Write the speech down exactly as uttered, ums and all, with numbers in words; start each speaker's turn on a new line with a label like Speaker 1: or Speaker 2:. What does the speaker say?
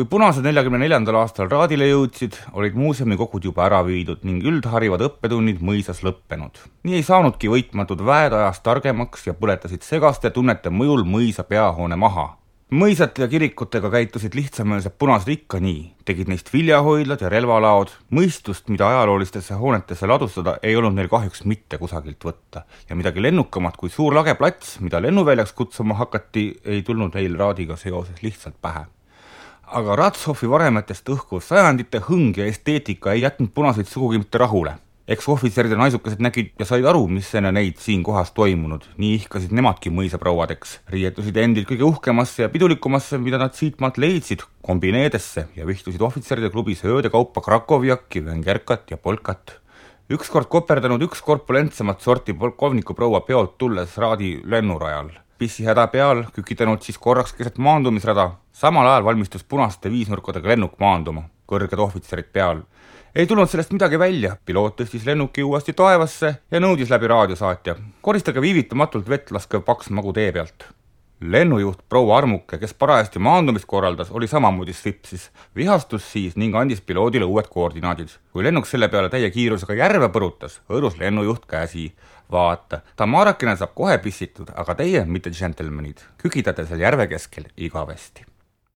Speaker 1: Kui punased neljakümne neljandal aastal raadile jõudsid, olid muuseumikogud juba ära viidud ning üldharivad õppetunnid mõisas lõppenud. Nii ei saanudki võitmatud väed ajast targemaks ja põletasid segaste tunnete mõjul mõisa peahoone maha. Mõisate ja kirikutega käitusid lihtsameelsed punased ikka nii, tegid neist viljahoidlad ja relvalaod. Mõistust, mida ajaloolistesse hoonetesse ladustada, ei olnud neil kahjuks mitte kusagilt võtta. Ja midagi lennukamat kui suur lageplats, mida lennuväljaks kutsuma hakati, ei tulnud neil raadiga seoses lihtsalt pähe. Aga Ratshofi varemetest õhkuv sajandite hõng ja esteetika ei jätnud punaseid sugugi mitte rahule. Eks ohvitserid ja naisukesed nägid ja said aru, mis enne neid siin kohas toimunud. Nii ihkasid nemadki mõisaprouadeks. Riietusid endid kõige uhkemasse ja pidulikumasse, mida nad siitmaalt leidsid, kombineedesse ja vihtusid ohvitseride klubis ööde kaupa krakovjakki, vengerkat ja polkat. Ükskord koperdanud üks korpulentsemat sorti polkovniku proua peolt tulles raadi lennurajal. Pissi häda peal, kükitanud siis korraks keset maandumisrada. Samal ajal valmistus punaste viisnurkadega lennuk maanduma. Kõrged ohvitserid peal. Ei tulnud sellest midagi välja. Piloot tõstis lennuki uuesti taevasse ja nõudis läbi raadiosaatja. Koristage viivitamatult vett laskev paks magu tee pealt. Lennujuht proua Armuke, kes parajasti maandumist korraldas, oli samamoodi svipsis. Vihastus siis ning andis piloodile uued koordinaadid. Kui lennuk selle peale täie kiirusega järve põrutas, hõõrus lennujuht käsi. Vaata, ta maarakene saab kohe pissitud, aga teie, mitte džentelmenid, kükitate seal järve keskel igavesti.